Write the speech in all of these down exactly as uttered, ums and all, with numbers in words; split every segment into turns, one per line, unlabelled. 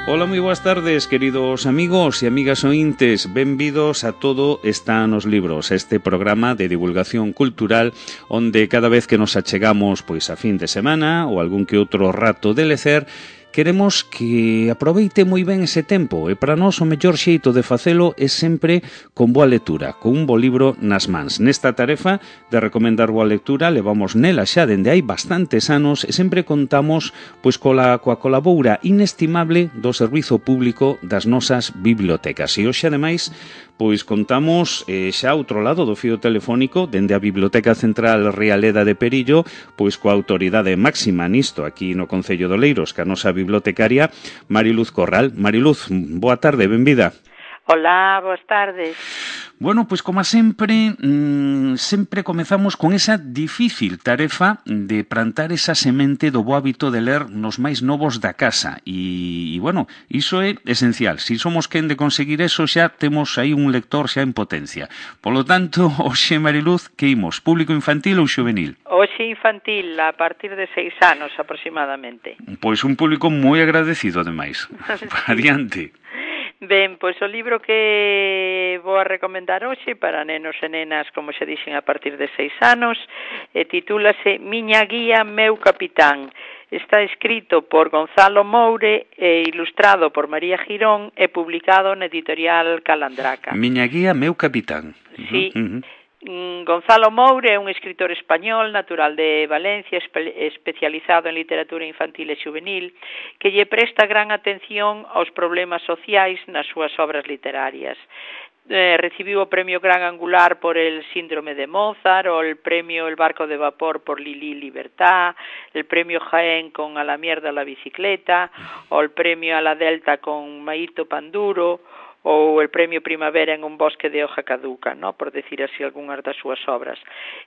Ola, moi boas tardes, queridos amigos e amigas ointes. Benvidos a Todo está nos libros, este programa de divulgación cultural onde cada vez que nos achegamos pois a fin de semana ou algún que outro rato de lecer, queremos que aproveite moi ben ese tempo e para nós o mellor xeito de facelo é sempre con boa lectura, con un bo libro nas mans. Nesta tarefa de recomendar boa lectura levamos nela xa dende hai bastantes anos e sempre contamos pois coa, coa colaboura inestimable do servizo público das nosas bibliotecas. E hoxe, ademais, pois contamos eh, xa outro lado do fío telefónico dende a Biblioteca Central Rialeda de Perillo, pois coa autoridade máxima nisto aquí no Concello de Oleiros, que a nosa bibliotecaria Mariluz Corral. Mariluz, boa tarde, benvida.
Hola, boas tardes.
Bueno, pois como sempre, mmm, sempre comezamos con esa difícil tarefa de plantar esa semente do bo hábito de ler nos máis novos da casa. E, e bueno, iso é esencial. Se somos quen de conseguir eso, xa temos aí un lector xa en potencia. Polo tanto, hoxe, Mariluz, que imos? Público infantil ou xuvenil?
Hoxe infantil, a partir de seis anos aproximadamente.
Pois un público moi agradecido, ademais. Sí. Adiante.
Ben, pois o libro que vou a recomendar hoxe para nenos e nenas, como xa dixen, a partir de seis anos, e titúlase Miña guía, meu capitán. Está escrito por Gonzalo Moure e ilustrado por María Girón e publicado na editorial Calandraca.
Miña guía, meu capitán.
Sí.
Uh-huh.
Gonzalo Moure é un escritor español natural de Valencia, espe especializado en literatura infantil e juvenil, que lle presta gran atención aos problemas sociais nas súas obras literarias. Eh, recibiu o premio Gran Angular por el síndrome de Mozart, o el premio El barco de vapor por Lili Libertad, el premio Jaén con A la mierda la bicicleta, o el premio A la Delta con Maito Panduro, ou el premio Primavera en un bosque de hoja caduca, ¿no?, por decir así algunhas das súas obras.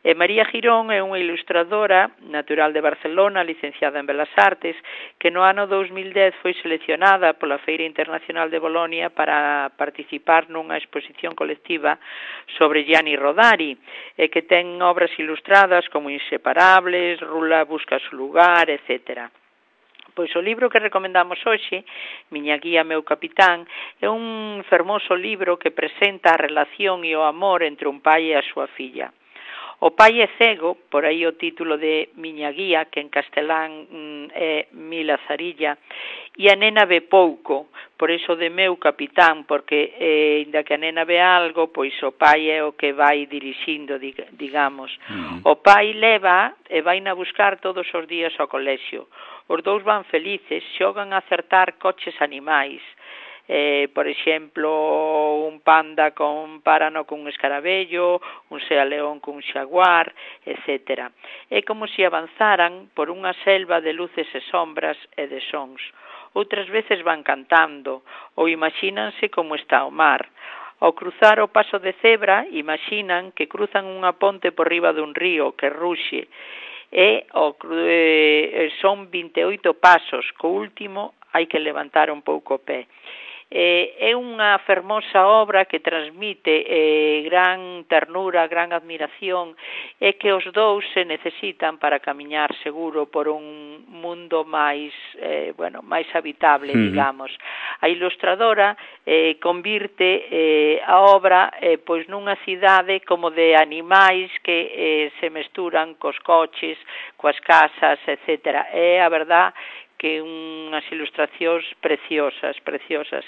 E María Girón é unha ilustradora natural de Barcelona, licenciada en Belas Artes, que no ano dos mil dez foi seleccionada pola Feira Internacional de Bolonia para participar nunha exposición colectiva sobre Gianni Rodari, e que ten obras ilustradas como Inseparables, Rula busca su lugar, etcétera. Pois o libro que recomendamos hoxe, Miña guía, meu capitán, é un fermoso libro que presenta a relación e o amor entre un pai e a súa filla. O pai é cego, por aí o título de Miña guía, que en castelán mm, é Mi Lazarilla, e a nena ve pouco, por iso de meu capitán, porque, eh, inda que a nena ve algo, pois o pai é o que vai dirixindo, digamos. Uh-huh. O pai leva e vai na buscar todos os días ao colexio. Os dous van felices, xogan a acertar coches animais. Eh, por exemplo, un panda con párano cun escarabello, un sea león cun xaguar, etcétera. É como se avanzaran por unha selva de luces e sombras e de sons. Outras veces van cantando, ou imagínanse como está o mar. Ao cruzar o paso de cebra, imaginan que cruzan unha ponte por riba dun río que ruxe, e o, eh, son vinte e oito pasos, co último hai que levantar un pouco o pé. Eh, é unha fermosa obra que transmite eh, gran ternura, gran admiración, e que os dous se necesitan para camiñar seguro por un mundo máis, eh, bueno, máis habitable, uh-huh. digamos. A ilustradora eh, convirte eh, a obra eh, pois nunha cidade como de animais que eh, se mesturan cos coches, coas casas, etcétera. É a verdad que unhas ilustracións preciosas, preciosas.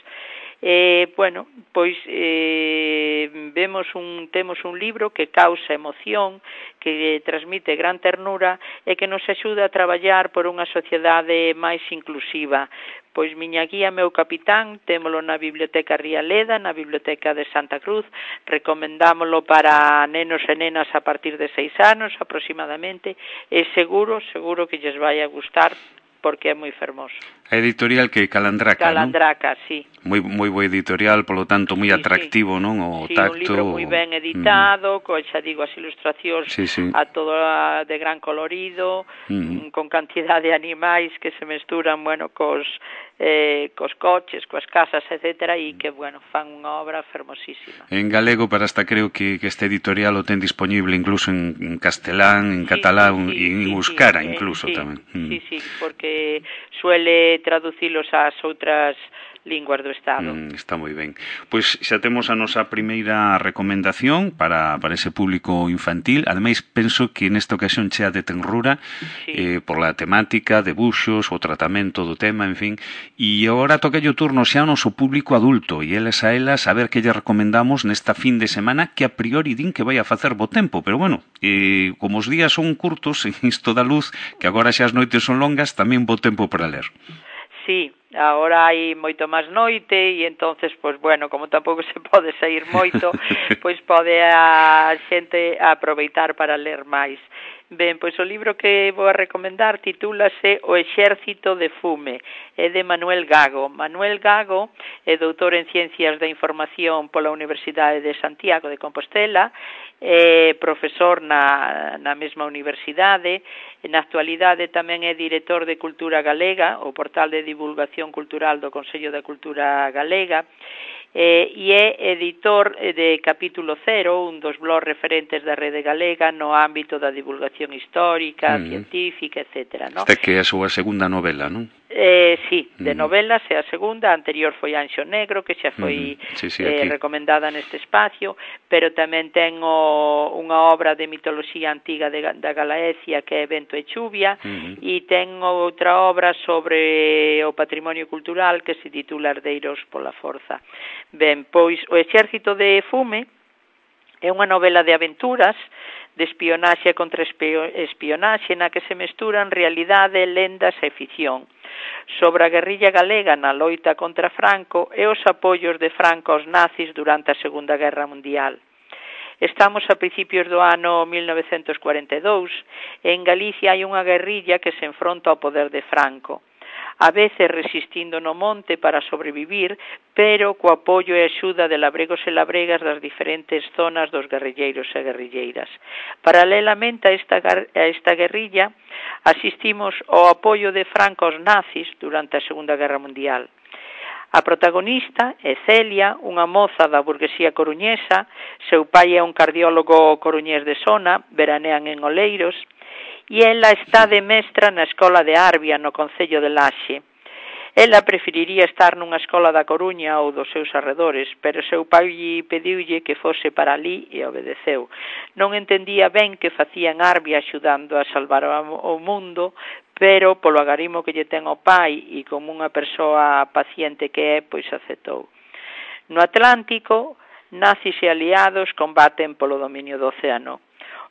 Eh, bueno, pois eh, vemos un, temos un libro que causa emoción, que transmite gran ternura e que nos axuda a traballar por unha sociedade máis inclusiva. Pois Miña guía, meu capitán, témolo na Biblioteca Rialeda, na Biblioteca de Santa Cruz, recomendámolo para nenos e nenas a partir de seis anos aproximadamente, e seguro, seguro que lles vai a gustar, porque é moi fermoso.
A editorial que Calandraca,
Calandraca,
non?
sí.
Moi moi bo editorial, polo tanto moi sí, atractivo, sí. non? O
sí,
tacto.
Un libro moi ben editado, mm. co, xa digo, as ilustracións
sí, sí.
a todo de gran colorido, mm. con cantidad de animais que se mesturan, bueno, cos eh, cos coches, coas casas, etcétera, e que, bueno, fan unha obra fermosísima.
En galego, para hasta creo que, que este editorial o ten disponible incluso en, en castelán, en sí, catalán, sí, sí, e en sí, euskara sí, incluso
sí,
tamén.
Sí, mm. sí, porque suele traducilos ás outras linguas do Estado.
Mm, está moi ben. Pois xa temos a nosa primeira recomendación para, para ese público infantil. Ademais, penso que nesta ocasión chea de tenrura, sí. eh, por la temática, debuxos, o tratamento do tema, en fin. E agora toca o turno xa ao noso público adulto, e eles a elas a ver que lle recomendamos nesta fin de semana, que a priori din que vai a facer bo tempo, pero bueno, eh, como os días son curtos, en isto da luz, que agora xa as noites son longas, tamén bo tempo para ler.
Sí, agora hai moito máis noite e entonces, pois bueno, como tampouco se pode sair moito, pois pode a xente aproveitar para ler máis. Ben, pois o libro que vou a recomendar titúlase O exército de fume, é de Manuel Gago. Manuel Gago é doutor en Ciencias da Información pola Universidade de Santiago de Compostela, é profesor na, na mesma universidade, na actualidade tamén é director de Cultura Galega, o portal de divulgación cultural do Consello da Cultura Galega, eh, e é editor de Capítulo Cero, un dos blogs referentes da Rede Galega no ámbito da divulgación histórica, mm. científica, etcétera. ¿No?
Esta que é a súa segunda novela, non?
Eh, sí, de novelas é a segunda, a anterior foi Anxo Negro, que xa foi
uh-huh. sí, sí,
eh, recomendada neste espacio, pero tamén ten o, unha obra de mitoloxía antiga de, da Galaecia que é Vento e Chuvia, uh-huh. e ten outra obra sobre o patrimonio cultural que se titula Herdeiros pola Forza. Ben, pois o exército de fume é unha novela de aventuras, de espionaxe contra espionaxe, na que se mesturan realidade, lendas e ficción, sobre a guerrilla galega na loita contra Franco e os apoios de Franco aos nazis durante a Segunda Guerra Mundial. Estamos a principios do ano mil novecentos cuarenta e dous e en Galicia hai unha guerrilla que se enfronta ao poder de Franco, a veces resistindo no monte para sobrevivir, pero co apoio e axuda de labregos e labregas das diferentes zonas dos guerrilleiros e guerrilleiras. Paralelamente a esta, a esta guerrilla, asistimos ao apoio de Franco aos nazis durante a Segunda Guerra Mundial. A protagonista é Celia, unha moza da burguesía coruñesa, seu pai é un cardiólogo coruñés de Sona, veranean en Oleiros, e ela está de mestra na escola de Arbia, no concello de Laxe. Ela preferiría estar nunha escola da Coruña ou dos seus arredores, pero seu pai pediulle que fose para ali e obedeceu. Non entendía ben que facía en Arbia axudando a salvar o mundo, pero polo agarimo que lle ten o pai e como unha persoa paciente que é, pois aceptou. No Atlántico, nazis e aliados combaten polo dominio do océano.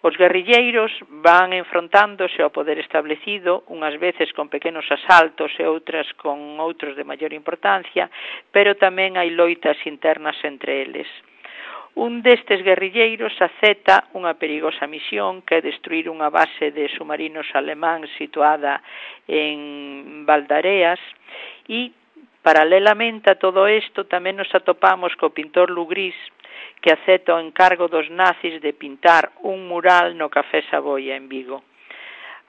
Os guerrilleiros van enfrontándose ao poder establecido, unhas veces con pequenos asaltos e outras con outros de maior importancia, pero tamén hai loitas internas entre eles. Un destes guerrilleiros acepta unha perigosa misión que é destruir unha base de submarinos alemáns situada en Valdareas e, paralelamente a todo isto, tamén nos atopamos co pintor Lugrís, que acepta o encargo dos nazis de pintar un mural no Café Saboia en Vigo.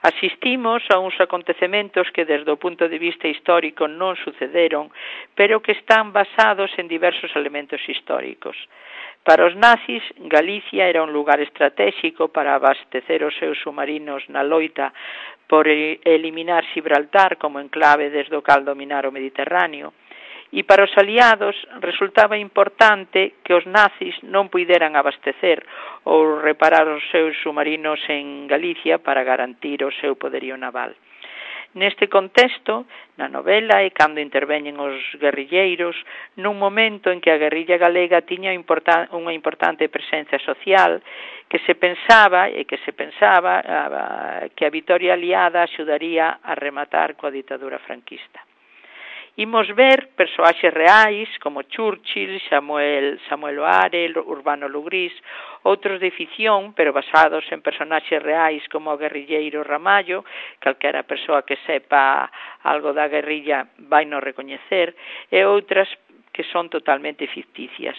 Asistimos a uns acontecementos que desde o punto de vista histórico non sucederon, pero que están basados en diversos elementos históricos. Para os nazis, Galicia era un lugar estratégico para abastecer os seus submarinos na loita por eliminar Gibraltar como enclave desde o cal dominar o Mediterráneo. E para os aliados resultaba importante que os nazis non puideran abastecer ou reparar os seus submarinos en Galicia para garantir o seu poderío naval. Neste contexto, na novela é cando interveñen os guerrilleiros nun momento en que a guerrilla galega tiña unha importante presencia social que se pensaba e que se pensaba que a vitoria aliada axudaría a rematar coa ditadura franquista. Imos ver persoaxes reais como Churchill, Samuel, Samuel O'Hare, Urbano Lugrís, outros de ficción, pero basados en personaxes reais como o guerrilleiro Ramallo, calquera persoa que sepa algo da guerrilla vai no recoñecer, e outras que son totalmente ficticias.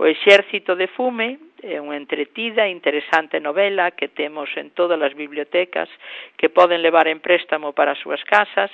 O Exército de Fume é unha entretida e interesante novela que temos en todas as bibliotecas, que poden levar en préstamo para as súas casas,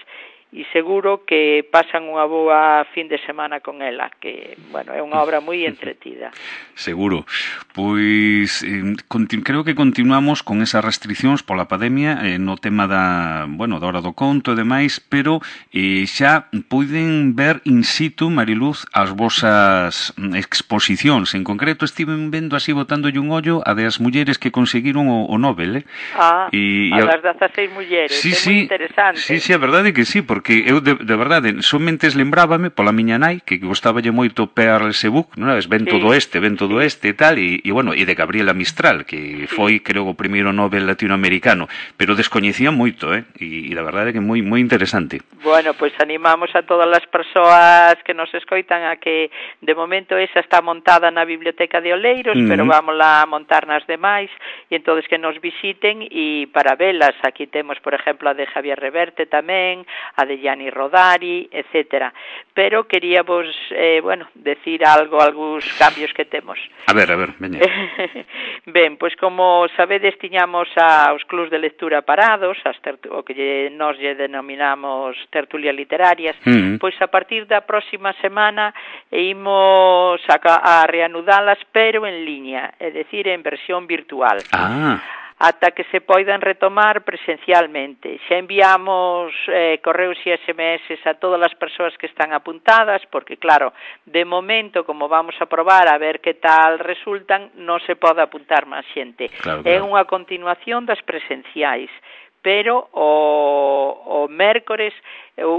e seguro que pasan unha boa fin de semana con ela, que, bueno, é unha obra moi entretida.
Seguro. Pois eh, continu- creo que continuamos con esas restriccións pola pandemia eh, no tema da, bueno, da hora do conto e demais, pero eh, xa poden ver in situ, Mariluz, as vosas exposicións. En concreto, estiven vendo así botándolle un ollo a das mulleres que conseguiron o, o Nobel, eh?
Ah,
e,
a das dezaseis mulleres,
sí,
é
sí,
moi interesante.
Sí, sí, a verdade que sí, porque eu de, de verdade somente lembrábame pola miña nai que gostaballe moito Pearl Sebuck, non sabes, ven sí, todo este, ven todo sí. este e tal, e, e bueno, e de Gabriela Mistral, que sí. foi, creo, o primeiro Nobel latinoamericano, pero descoñecía moito, eh, e, e a verdade que moi moi interesante.
Bueno, pois pues animamos a todas as persoas que nos escoitan a que, de momento, esa está montada na Biblioteca de Oleiros, uh -huh. pero vámola a montar nas demais, e entonces que nos visiten, e para velas, aquí temos, por exemplo, a de Javier Reverte tamén, a de Gianni Rodari, etcétera. Pero queríamos, eh, bueno, decir algo, algúns cambios que temos.
A ver, a ver, veña.
Ben, pois como sabedes, tiñamos aos clubs de lectura parados, as o que lle, nos lle denominamos tertulias literarias, uh -huh. pois a partir da próxima semana imos a, a reanudalas, pero en liña, é dicir, en versión virtual.
Ah,
ata que se poidan retomar presencialmente. Xa enviamos eh, correos e S M S a todas as persoas que están apuntadas, porque, claro, de momento, como vamos a probar a ver que tal resultan, non se pode apuntar máis xente.
Claro,
É
claro.
unha continuación das presenciais, pero o, o mércores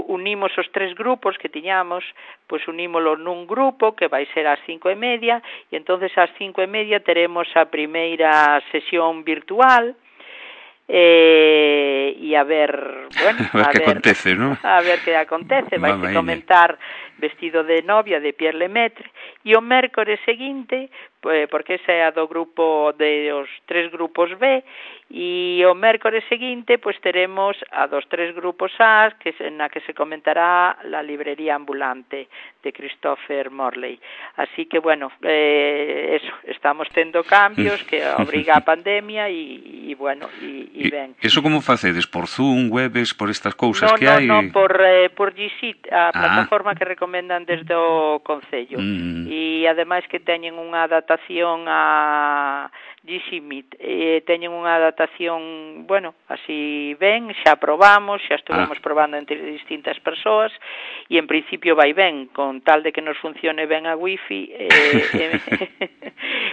unimos os tres grupos que tiñamos, pois unímolo nun grupo que vai ser ás cinco e media, e entonces ás cinco e media teremos a primeira sesión virtual, eh, e a ver, bueno,
a ver
a
que
ver,
acontece, ¿no?
A ver que acontece, vai se comentar Vestido de novia de Pierre Lemaitre, e o mércores seguinte, porque esa é a do grupo de os tres grupos B, e o mércores seguinte pois teremos a dos tres grupos A, que na que se comentará La librería ambulante de Christopher Morley. Así que, bueno, eh, eso, estamos tendo cambios que obriga a pandemia e, e bueno, e, e ben.
Eso como facedes? Por Zoom, webes, por estas cousas
no,
que
no,
hai?
No, no, por, eh, por G Suite, a
ah.
plataforma que recomendan desde o Concello. Mm. E ademais que teñen unha adaptación a G Suite, e teñen unha adaptación, bueno, así ben, xa probamos, xa estuvemos ah. probando entre distintas persoas, e en principio vai ben, con tal de que nos funcione ben a wifi, eh,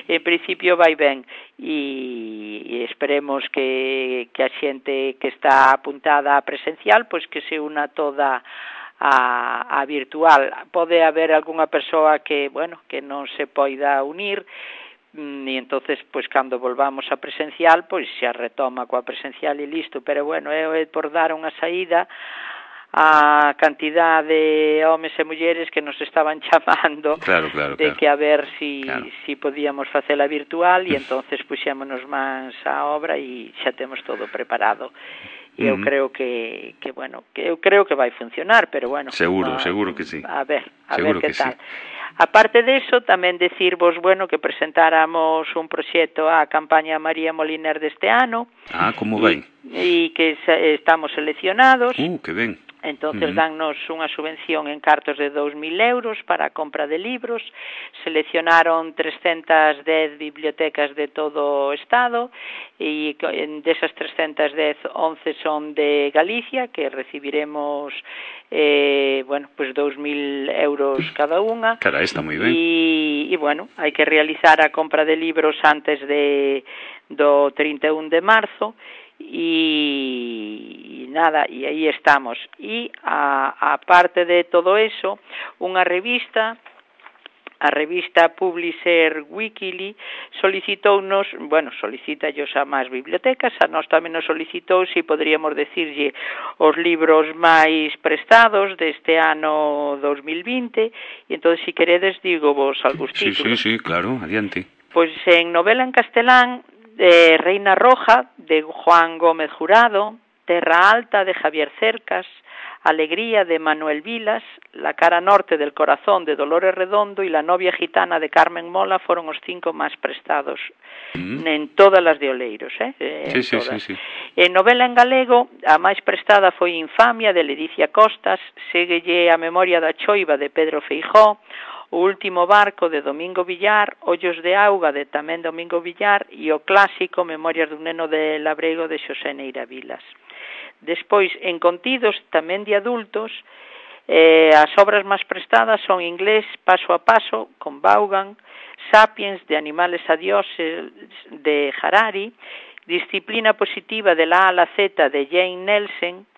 en principio vai ben, e, e esperemos que, que a xente que está apuntada a presencial, pois que se una toda a, a virtual. Pode haber algunha persoa que, bueno, que non se poida unir, e entonces, pois, cando volvamos a presencial, pois xa retoma coa presencial e listo, pero bueno, é por dar unha saída a cantidad de homes e mulleres que nos estaban chamando,
claro, claro,
de
claro.
que a ver si,
claro.
si podíamos facela virtual, e entonces puxémonos mans á obra e xa temos todo preparado. E eu uh -huh. creo que, que, bueno, que eu creo que vai funcionar, pero bueno.
Seguro,
a,
seguro que sí.
A ver, a
seguro
ver que, que tal.
Sí.
Aparte de eso, tamén decirvos, bueno, que presentáramos un proxecto á campaña María Moliner deste ano.
Ah, como vai?
E que estamos seleccionados.
Uh, que ben.
Entonces, uh -huh. dannos unha subvención en cartos de dous mil euros para a compra de libros. Seleccionaron trescentas dez bibliotecas de todo o Estado, e desas trescentas dez, once son de Galicia, que recibiremos eh, bueno, pues dous mil euros cada unha.
Cara, está moi ben.
E, e bueno, hai que realizar a compra de libros antes de do trinta e un de marzo, e nada, e aí estamos. E a, a parte de todo eso, unha revista, a revista Publisher Weekly, solicitounos, bueno, solicita ellos a máis bibliotecas, a nós tamén nos solicitou se poderíamos decirlle os libros máis prestados deste ano dos mil vinte, e entón, se queredes, digo vos algúns
sí,
títulos.
Sí, sí, claro, adiante.
Pois en novela en castelán, de Reina Roja, de Juan Gómez Jurado, Terra Alta de Javier Cercas, Alegría de Manuel Vilas, La cara norte del corazón de Dolores Redondo y La novia gitana de Carmen Mola foron os cinco máis prestados mm. en todas as de Oleiros, eh?
Sí, sí, sí, sí.
En novela en galego, a máis prestada foi Infamia de Ledicia Costas, séguelle A memoria da choiva de Pedro Feijó, O último barco de Domingo Villar, Ollos de auga de tamén Domingo Villar e o clásico Memorias dun neno de Labrego de Xosé Neira Vilas. Despois, en contidos tamén de adultos, eh, as obras máis prestadas son Inglés paso a paso, con Vaughan, Sapiens de Animales a Dioses de Harari, Disciplina positiva de la A a la Z de Jane Nelson,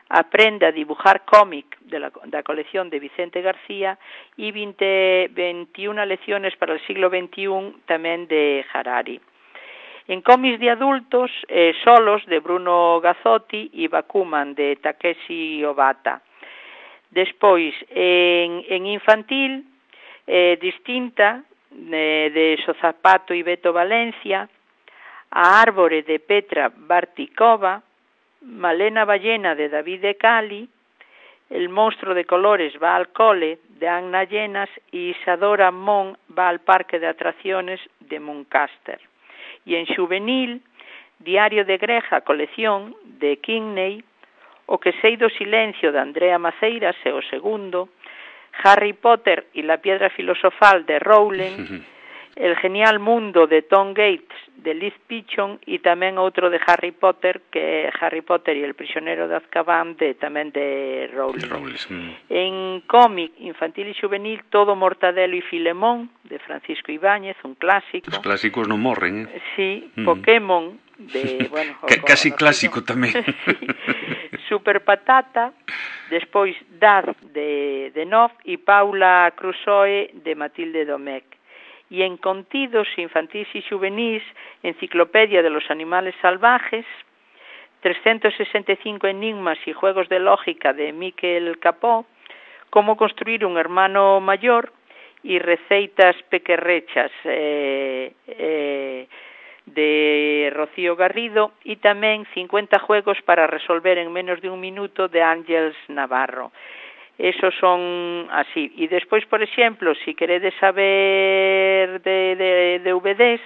Aprende a dibujar cómic de la, da colección de Vicente García e veinte, veintiuna lecciones para el siglo veintiuno tamén de Harari. En cómics de adultos, eh, Solos de Bruno Gazzotti e Bakuman de Takeshi Obata. Despois, en, en infantil, eh, Distinta eh, de Sozapato e Beto Valencia, A árbore de Petra Bartikova, Malena Ballena de David de Cali, El monstruo de colores va al cole de Anna Llenas e Isadora Mon va al parque de atracciones de Muncaster. Y en juvenil, Diario de Greja, colección de Kinney, O que sei do silencio de Andrea Maceiras e o segundo, Harry Potter y la piedra filosofal de Rowling, El genial mundo de Tom Gates de Liz Pichon e tamén outro de Harry Potter, que é Harry Potter e el prisionero de Azkaban de tamén de Rowling.
Rowling. Mm.
En cómic infantil e juvenil, Todo Mortadelo e Filemón de Francisco Ibáñez, un clásico.
Os clásicos non morren, eh?
Sí, mm. Pokémon de, bueno,
C casi clásico tamén.
Sí. Super Patata, despois Dad de de Nov e Paula Crusoe de Matilde Domecq. Y en contidos infantis y juvenils, Enciclopedia de los animales salvajes, trescientos sesenta y cinco enigmas y juegos de lógica de Miquel Capó, Cómo construir un hermano mayor y Receitas pequerrechas eh, eh, de Rocío Garrido y tamén cincuenta juegos para resolver en menos de un minuto de Ángeles Navarro. Esos son así. E despois, por exemplo, si queredes saber de, de, de D V Ds...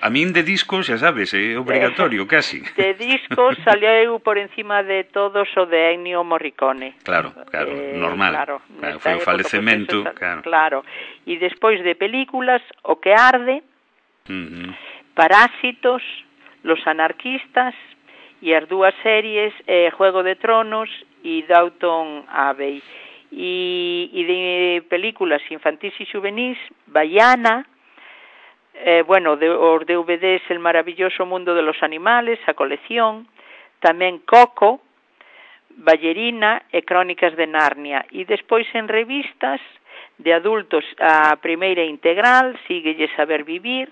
A min de discos, xa sabes, é obrigatorio, casi.
De discos saleu por encima de todos o de Ennio Morricone.
Claro, claro, eh, normal.
Claro,
claro, foi o falecemento.
Pues,
claro.
claro. E despois de películas, O que arde,
uh-huh.
Parásitos, Los anarquistas, e as dúas series, eh, Juego de Tronos e Downton Abbey. E, e de películas infantis e juvenis, Baiana, eh, bueno, de, os D V Ds El maravilloso mundo de los animales, a colección, tamén Coco, Ballerina e Crónicas de Narnia. E despois en revistas de adultos, a primeira integral, Síguelle saber vivir,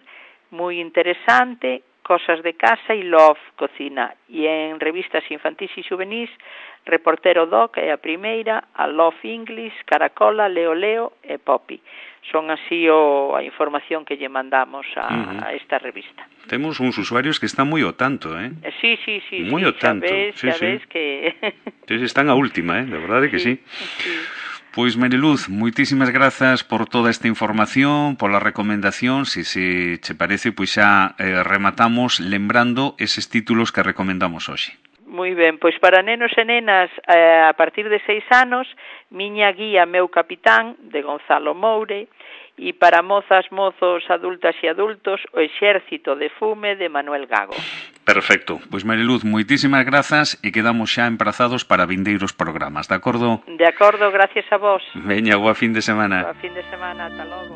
moi interesante, Cosas de casa e Love Cocina. E en revistas infantis e juvenis, Reportero Doc é a primeira, a Love English, Caracola, Leo Leo e Poppy. Son así o, a información que lle mandamos a, uh-huh. a esta revista.
Temos uns usuarios que están moi ao tanto, eh?
Sí, sí, sí.
Moi
sí,
ao tanto.
Xa ves,
sí,
xa
sí.
ves que...
sí, están a última, eh? De verdade que sí.
sí. sí.
Pois, Mariluz, moitísimas grazas por toda esta información, pola recomendación. Se se che parece, pois xa eh, rematamos lembrando eses títulos que recomendamos hoxe.
Moi ben, pois para nenos e nenas eh, a partir de seis anos, Miña guía, meu capitán, de Gonzalo Moure, e para mozas, mozos, adultas e adultos, O exército de fume, de Manuel Gago.
Perfecto. Pois, Mariluz, moitísimas grazas e quedamos xa emprazados para vindeiros programas, de acordo?
De acordo, gracias a vos.
Veña, boa fin de semana.
Boa fin de semana, ata logo.